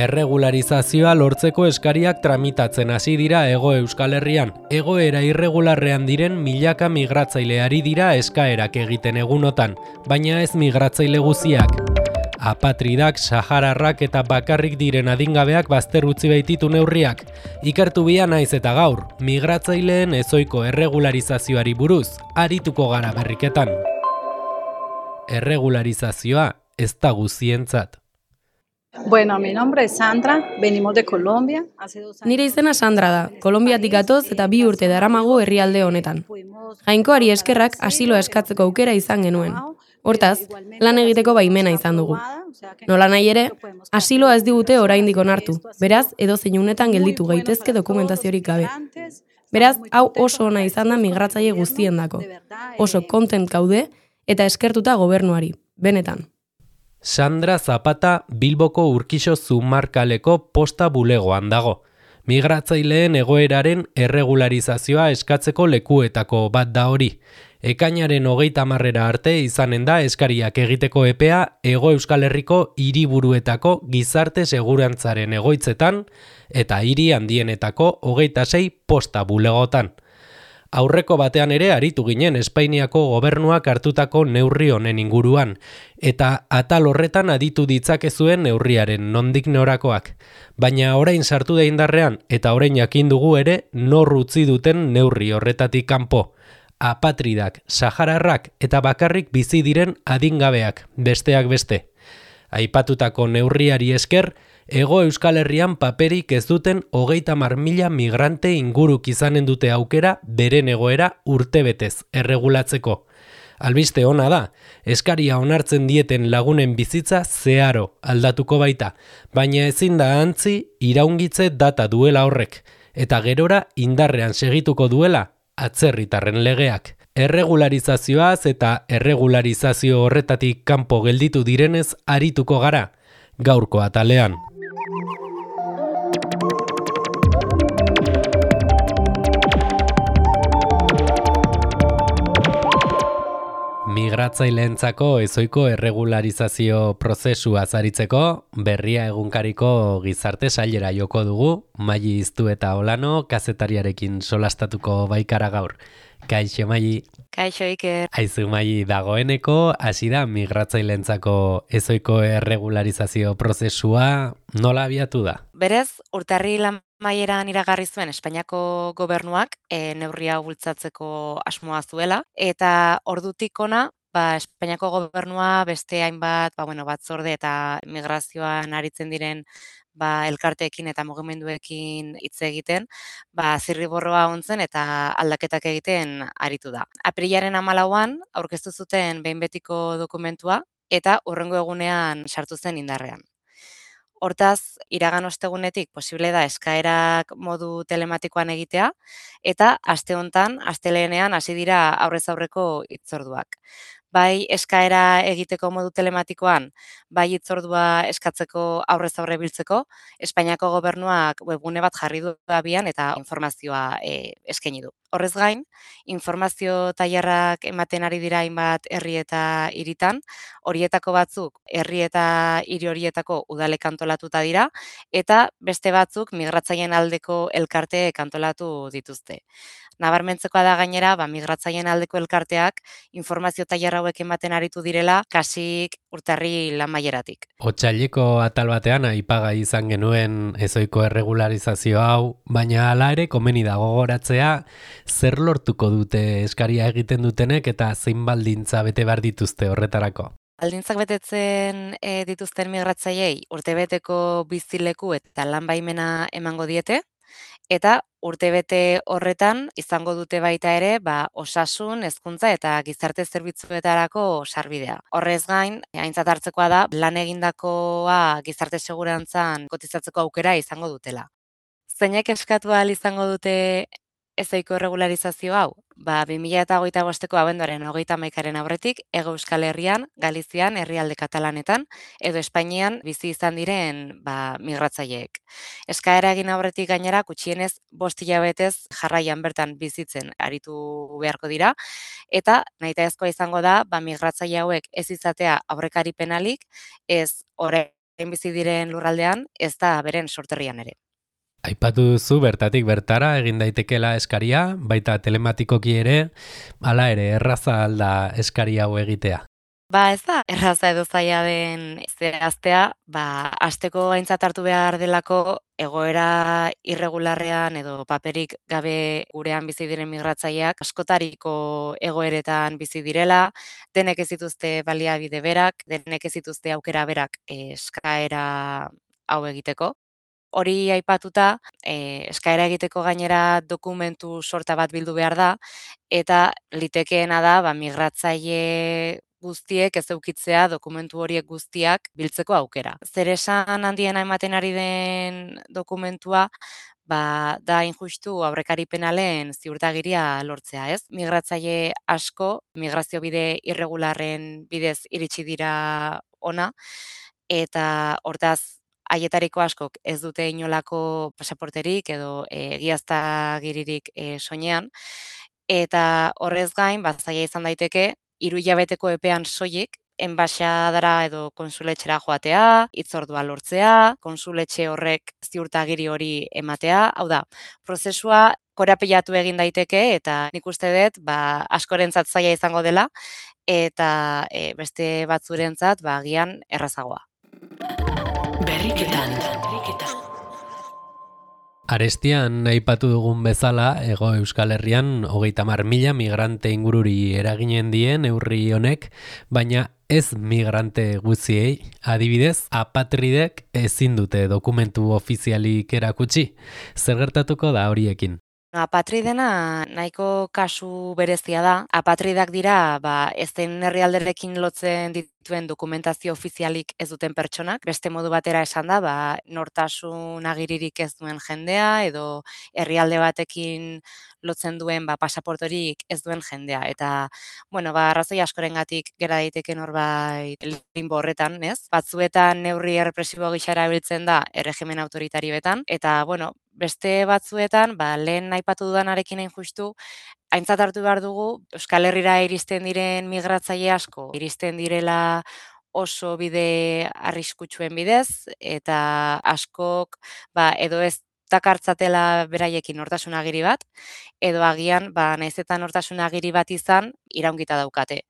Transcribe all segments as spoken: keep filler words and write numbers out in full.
Erregularizazioa lortzeko eskariak tramitatzen hasi dira Hego Euskal Herrian. Egoera irregularrean diren milaka migratzaileari dira eskaerak egiten egunotan, baina ez migratzaile guziak. Apatridak, sahararrak eta bakarrik diren adingabeak bazter utzi baititu neurriak. Ikertu bia naiz eta gaur, migratzaileen ezohiko erregularizazioari buruz, arituko gara berriketan. Erregularizazioa ez da guzientzat. Bueno, mi nombre es Sandra, venimos de Colombia. Nire izena Sandra da, Kolonbiatik gatoz eta bi urte daramago herrialde honetan. Jainkoari eskerrak asiloa eskatzeko aukera izan genuen. Hortaz, lan egiteko baimena izan dugu. Nola nahi ere, asiloa ez digute oraindik onartu, beraz, edozein unetan gelditu gaitezke dokumentaziorik gabe. Beraz, hau oso ona izan da migratzaile guztiendako. Oso kontent gaude eta eskertuta gobernuari, benetan. Sandra Zapata Bilboko Urkixo Zumarkaleko posta bulegoan dago. Migratzaileen egoeraren erregularizazioa eskatzeko lekuetako bat da hori. Ekainaren hogeita hamarrera arte izanen da eskariak egiteko epea Hego Euskal Herriko hiriburuetako gizarte segurantzaren egoitzetan eta hiri handienetako hogeita sei posta bulegotan. Aurreko batean ere aritu ginen Espainiako gobernuak hartutako neurri honen inguruan, eta atal horretan aditu ditzakezuen neurriaren nondik norakoak. Baina orain sartu da indarrean eta orain jakin dugu ere nor utzi duten neurri horretatik kanpo. Apatridak, sahararrak eta bakarrik bizi diren adingabeak, besteak beste. Aipatutako neurriari esker, Hego Euskal Herrian paperik ez duten hogeita hamar mila migrante inguruk izanen dute aukera beren egoera urtebetez erregulatzeko. Albiste ona da, eskaria onartzen dieten lagunen bizitza zeharo aldatuko baita, baina ezin da antzi iraungitze data duela horrek, eta gerora indarrean segituko duela atzerritarren legeak. Erregularizazioaz eta erregularizazio horretatik kanpo gelditu direnez arituko gara, gaurko atalean. Migratzaileentzako ezohiko erregularizazio prozesua aritzeko, Berria egunkariko gizarte sailera joko dugu, Maili Iztueta Olano, kazetariarekin solastatuko baikara gaur. Kaixo, Maili. Kaixo, Iker. Aizu, Maili, dagoeneko hasi da migratzaileentzako ezohiko erregularizazio prozesua, nola abiatu da? Berez, urtarrila maieran iragarri zuen Espainiako gobernuak e, neurria bultzatzeko asmoa zuela, eta ordutik ona, ba, Espainiako gobernua beste hainbat, ba, bueno, batzorde eta migrazioan aritzen diren ba, elkarteekin eta mugimenduekin hitz egiten, ba, zirriborroa ontzen eta aldaketak egiten aritu da. Aprilaren hamalauan aurkeztu zuten behin betiko dokumentua eta hurrengo egunean sartu zen indarrean. Hortaz, iragan ostegunetik posible da eskaerak modu telematikoan egitea eta aste hontan, astelehenean hasi dira aurrez aurreko hitzorduak. Bai eskaera egiteko modu telematikoan, bai hitzordua eskatzeko aurrez aurre biltzeko, Espainiako gobernuak webgune bat jarri du abian eta informazioa e, eskaini du. Horrez gain, informazio tailerrak ematen ari dira hainbat herri eta hiritan, horietako batzuk herri eta hiri horietako udalek antolatuta dira eta beste batzuk migratzaileen aldeko elkarteek antolatu dituzte. Nabarmentzekoa da gainera, ba, migratzaileen aldeko elkarteak informazio tailer hauek ematen aritu direla kasik urtarri lamaieratik. Otsaileko atal batean aipagai izan genuen ezohiko erregularizazio hau, baina hala ere komeni da gogoratzea zer lortuko dute eskaria egiten dutenek eta zein baldintza bete behar dituzte horretarako. Baldintzak betetzen e, dituzten migratzaileei urtebeteko bizileku eta lan baimena emango diete, eta urtebete horretan izango dute baita ere ba, osasun, hezkuntza eta gizarte zerbitzuetarako sarbidea. Horrez gain, aintzat hartzekoa da, lan egindakoa gizarte segurantzan kotizatzeko aukera izango dutela. Zeinek eskatu ahal izango dute ezohiko erregularizazio hau? Ba, bi mila hogeita bosteko abenduaren hogeita hamaikaren aurretik, Hego Euskal Herrian, Galizian, herrialde katalanetan, edo Espainian bizi izan diren ba, migratzaileek. Eskaera egin aurretik gainera, gutxienez bost hilabetez jarraian bertan bizitzen aritu beharko dira, eta nahitaezkoa izango da, ba, migratzaile hauek ez izatea aurrekari penalik, ez orain bizi diren lurraldean, ez da beren sorterrian ere. Aipatu duzu bertatik bertara egin daitekela eskaria, baita telematikoki ere, hala ere erraza alda eskari hau egitea. Ba, ez da, erraza edo zaila den zehaztea, ba, hasteko aintzat hartu behar delako egoera irregularrean edo paperik gabe gurean bizi diren migratzaileak askotariko egoeretan bizi direla, denek ez dituzte baliabide berak, denek ez dituzte aukera berak eskaera hau egiteko. Hori aipatuta, e, eskaera egiteko gainera dokumentu sorta bat bildu behar da, eta litekeena da ba, migratzaile guztiek ez eukitzea dokumentu horiek guztiak biltzeko aukera. Zer esan handiena ematen ari den dokumentua, ba, da injustu aurrekari penalen ziurtagiria lortzea, ez? Migratzaile asko, migrazio bide irregularren bidez iritsi dira ona, eta hortaz, haietariko askok ez dute inolako pasaporterik edo egiaztagiririk e, soinean, eta horrez gain, ba, zaila izan daiteke, hiru hilabeteko epean soilik, enbaxadara edo konsuletxera joatea, hitzordua lortzea, konsuletxe horrek ziurtagiri hori ematea, hau da, prozesua korapilatu egin daiteke eta nik uste dut ba, askorentzat zaila izango dela eta e, beste batzurentzat ba, agian errazagoa. Berriketan. Arestian aipatu dugun bezala, Hego Euskal Herrian hogeita hamar mila migrante ingururi eraginen dien neurri honek, baina ez migrante guztiei, adibidez, apatridek ezin dute dokumentu ofizialik erakutsi. Zer gertatuko da horiekin? Apatridena nahiko kasu berezia da. Apatridak dira, ba, ezen herrialderekin lotzen dituen dokumentazio ofizialik ez duten pertsonak. Beste modu batera esan da, ba, nortasun agiririk ez duen jendea edo herrialde batekin lotzen duen ba, pasaportorik ez duen jendea. Eta, bueno, ba, arrazoi askorengatik gera daiteke norbait limbo horretan, ez? Batzuetan neurri errepresibo gisa erabiltzen da erregimen autoritarioetan, eta, bueno, beste batzuetan, ba, lehen aipatu dudanarekin hain justu, aintzat hartu behar dugu, Euskal Herrira iristen diren migratzaile asko, iristen direla oso bide arriskutsuen bidez, eta askok ba, edo ez dakartzatela beraiekin nortasun agiri bat, edo agian, ba, nahiz eta nortasun agiri bat izan, iraungita daukate.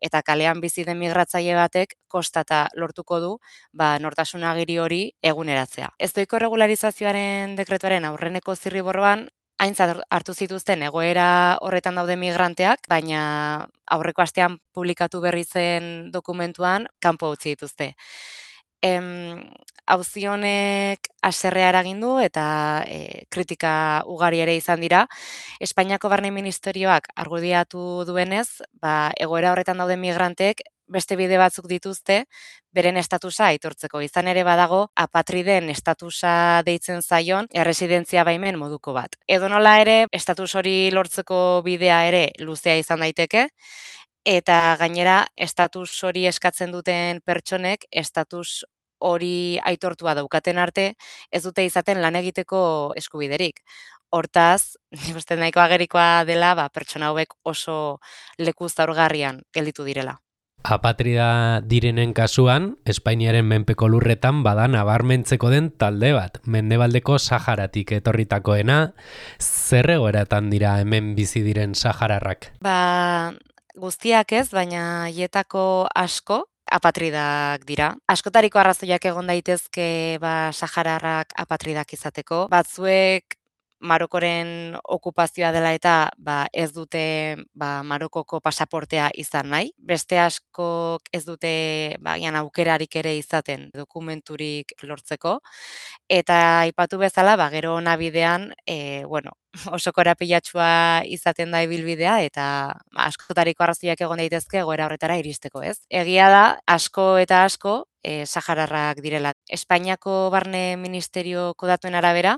Eta kalean bizi den migratzaile batek kostata lortuko du ba, nortasun agiri hori eguneratzea. Ezoiko regularizazioaren dekretuaren aurreneko zirriborroan, aintzat hartu zituzten egoera horretan daude migranteak, baina aurreko astean publikatu berri zen dokumentuan kanpo utzi dituzte. Em, auzi honek haserrea eragin du eta e, kritika ugari ere izan dira. Espainiako Barne Ministerioak argudiatu duenez, ba, egoera horretan dauden migranteek beste bide batzuk dituzte beren estatusa aitortzeko. Izan ere badago apatriden estatusa deitzen zaion erresidentzia baimen moduko bat. Edonola ere, estatus hori lortzeko bidea ere luzea izan daiteke, eta gainera estatus hori eskatzen duten pertsonek estatus hori aitortua daukaten arte ez dute izaten lan egiteko eskubiderik. Hortaz, nik uste nahiko agerikoa dela, ba, pertsona hauek oso leku zaurgarrian gelditu direla. Apatrida direnen kasuan, Espainiaren menpeko lurretan bada nabarmentzeko den talde bat, mendebaldeko Saharatik etorritakoena, zer egoeratan dira hemen bizi diren sahararrak? Ba, guztiak ez, baina hietako asko apatridak dira. Askotariko arrazoiak egon daitezke ba, sahararrak apatridak izateko. Batzuek Marokoren okupazioa dela eta ba, ez dute ba, Marokoko pasaportea izan nahi. Beste askok ez dute ba, aukerarik ere izaten dokumenturik lortzeko. Eta aipatu bezala, ba, gero nabidean, e, bueno, oso korapilatsua izaten da ibilbidea eta askotariko arrazoiak egon daitezke egoera horretara iristeko, ez? Egia da, asko eta asko e, sahararrak direla. Espainiako Barne Ministerioko datuen arabera,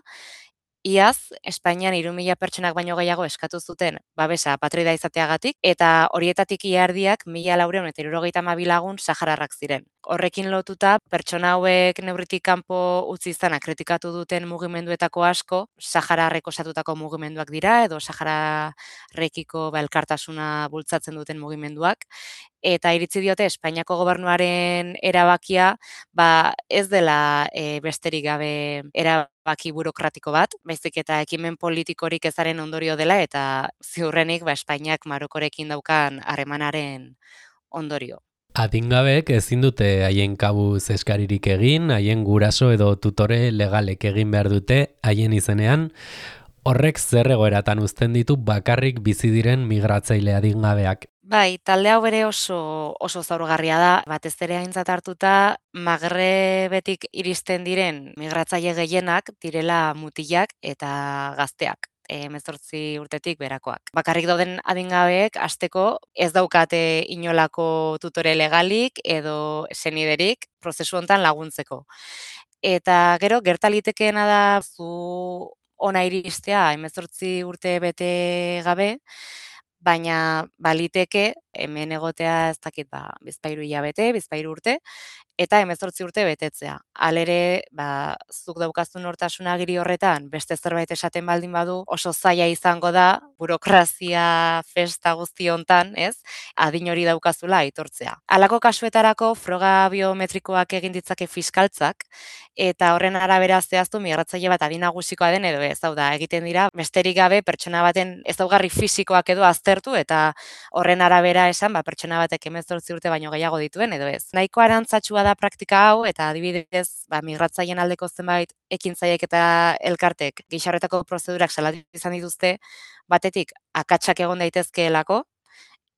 iaz, Espainian hiru mila pertsonak baino gehiago eskatu zuten babesa apatrida izateagatik, eta horietatik ia erdiak mila laurehun eta hirurogeita hamabi lagun sahararrak ziren. Horrekin lotuta, pertsona hauek neurritik kanpo utzi izana kritikatu duten mugimenduetako asko, sahararrek osatutako mugimenduak dira, edo sahararrekiko ba, elkartasuna bultzatzen duten mugimenduak, eta iritzi diote Espainiako gobernuaren erabakia ba, ez dela e, besterik gabe erabaki burokratiko bat, baizik eta ekimen politikorik ezaren ondorio dela eta ziurrenik ba, Espainiak Marokorekin daukan harremanaren ondorio. Adingabeek ezin dute haien kabuz eskaririk egin, haien guraso edo tutore legalek egin behar dute haien izenean. Horrek zer egoeratan uzten ditu bakarrik bizi diren migratzaile adingabeak. Bai, talde hau bere oso oso zaurgarria da, batez ere aintzat hartuta Magrebetik iristen diren migratzaile gehienak direla mutilak eta gazteak. hemezortzi urtetik berakoak. Bakarrik dauden adingabeek hasteko ez daukate inolako tutore legalik edo seniderik prozesu hontan laguntzeko. Eta gero gerta litekeena da zu ona iristea hemezortzi urte bete gabe, baina baliteke hemen egotea ez dakit ba bizpahiru hilabete, bizpahiru urte eta hemezortzi urte betetzea. Halere, ba, zuk daukazun nortasun agiri horretan beste zerbait esaten baldin badu, oso zaila izango da burokrazia festa guzti hontan, ez? Adin hori daukazula aitortzea. Halako kasuetarako froga biometrikoak egin ditzake fiskaltzak eta horren arabera zehaztu migratzaile bat adin nagusikoa den edo ez. Hau da, egiten dira besterik gabe pertsona baten ezaugarri fisikoak edo aztertu eta horren arabera esan ba pertsona batek hemezortzi urte baino gehiago dituen edo ez. Nahiko arantzatsua da praktika hau eta adibidez, ba migratzaileen aldeko zenbait ekintzaileek eta elkartek gixarretako prozedurak salatu izan dituzte, batetik akatsak egon daitezkeelako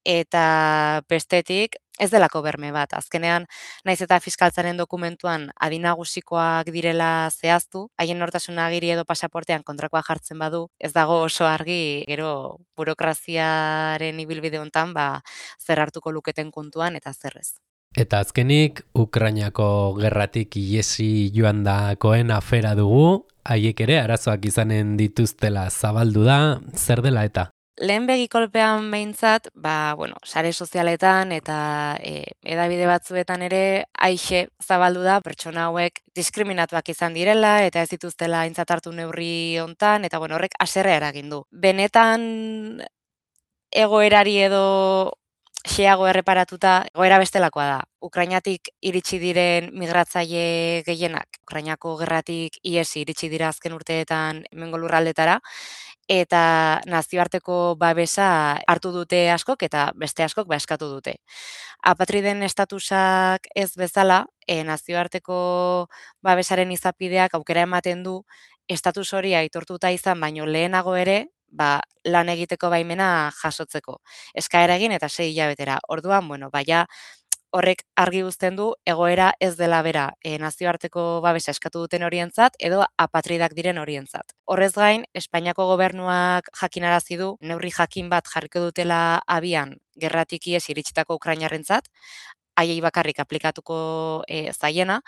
eta bestetik ez delako berme bat. Azkenean, naiz eta fiskaltzaren dokumentuan adin nagusikoak direla zehaztu, haien nortasun agiri edo pasaportean kontrakoa jartzen badu, ez dago oso argi gero burokraziaren ibilbide hontan ba zer hartuko luketen kontuan eta zer ez. Eta azkenik, Ukrainako gerratik iesi joan dakoen afera dugu, haiek ere arazoak izanen dituztela zabaldu da, zer dela eta? Lehen begikolpean behintzat, ba, bueno, sare sozialetan eta e, edabide batzuetan ere aixe zabaldu da pertsona hauek diskriminatuak izan direla eta ez dituztela aintzat hartu neurri hontan eta bueno, horrek haserrea eragin du. Benetan egoerari edo xeago erreparatuta, egoera bestelakoa da. Ukrainatik iritsi diren migratzaile gehienak, Ukrainako gerratik iesi iritsi dira azken urteetan hemengo lurraldetara, eta nazioarteko babesa hartu dute askok eta beste askok ba eskatu dute. Apatriden estatusak ez bezala, e, nazioarteko babesaren izapideak aukera ematen du estatus hori aitortuta izan baino lehenago ere, ba, lan egiteko baimena jasotzeko. Eskaera egin eta sei hilabetera. Orduan, bueno, baina horrek argi uzten du egoera ez dela bera e, nazioarteko babesa eskatu duten horientzat edo apatridak diren horientzat. Horrez gain, Espainiako gobernuak jakinarazi du neurri jakin bat jarriko dutela abian gerratik ihes iritsitako Ukrainarrentzat, haiei bakarrik aplikatuko e, zaiena,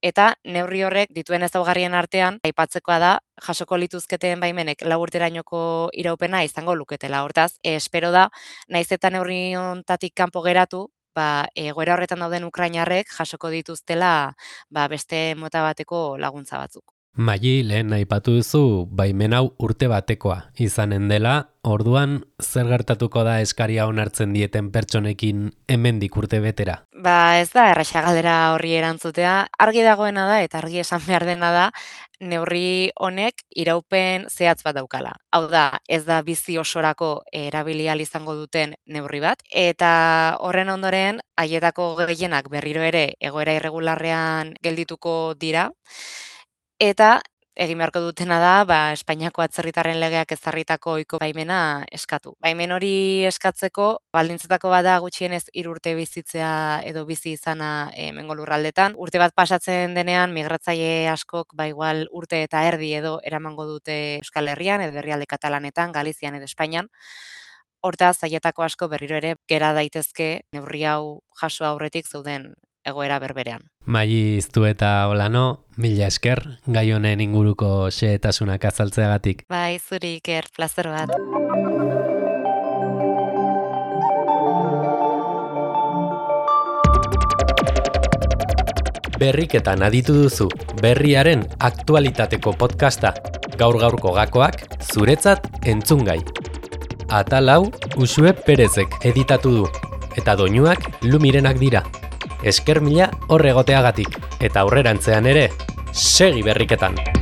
eta neurri horrek dituen ezaugarrien artean aipatzekoa da jasoko lituzketen baimenek lau urterainoko iraupena izango luketela. Hortaz, e, espero da, naiz eta neurri hontatik kanpo geratu, ba, egoera horretan dauden Ukrainarrek jasoko dituztela ba, beste mota bateko laguntza batzuk. Maili, lehen aipatu duzu, baimen hau urte batekoa izanen dela, orduan zer gertatuko da eskaria onartzen dieten pertsonekin hemendik urte betera? Ba ez da erraxa galdera horri erantzutea, argi dagoena da eta argi esan behar dena da, neurri honek iraupen zehatz bat daukala. Hau da, ez da bizi osorako erabili ahal izango duten neurri bat, eta horren ondoren, haietako gehienak berriro ere egoera irregularrean geldituko dira, eta egin beharko dutena da, ba, Espainiako atzerritarren legeak ezarritako ohiko baimena eskatu. Baimen hori eskatzeko, baldintzetako bada gutxienez hiru urte bizitzea edo bizi izana hemengo lurraldetan. Urte bat pasatzen denean, migratzaile askok, ba igual urte eta erdi edo eramango dute Euskal Herrian, edo herrialde Katalanetan, Galizian edo Espainian. Hortaz, haietako asko berriro ere gera daitezke neurri hau jaso aurretik zeuden egoera berberean. Maili Iztueta Olano, mila esker, gai honen inguruko xehetasunak azaltzeagatik. Bai, zuri Iker, plazer bat. Berriketan aditu duzu, berriaren aktualitateko podcasta. Gaur-gaurko gakoak, zuretzat entzungai. Atal hau, Uxue Perezek editatu du. eta doinuak Lumirenak dira. Esker mila hor egoteagatik, eta aurrerantzean ere, segi berriketan!